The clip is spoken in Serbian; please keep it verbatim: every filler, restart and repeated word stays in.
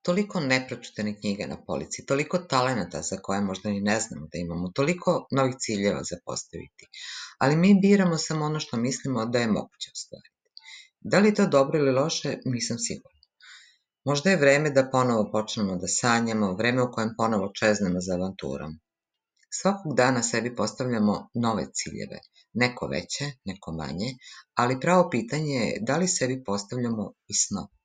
Toliko nepročitane knjige na polici, toliko talenata za koje možda ni ne znamo da imamo, toliko novih ciljeva za postaviti, ali mi biramo samo ono što mislimo da je moguće ostvariti. Da li je to dobro ili loše, nisam sigurna. Možda je vreme da ponovo počnemo da sanjamo, vreme u kojem ponovo čeznemo za avanturom. Svakog dana sebi postavljamo nove ciljeve, neko veće, neko manje, ali pravo pitanje je da li sebi postavljamo i snove.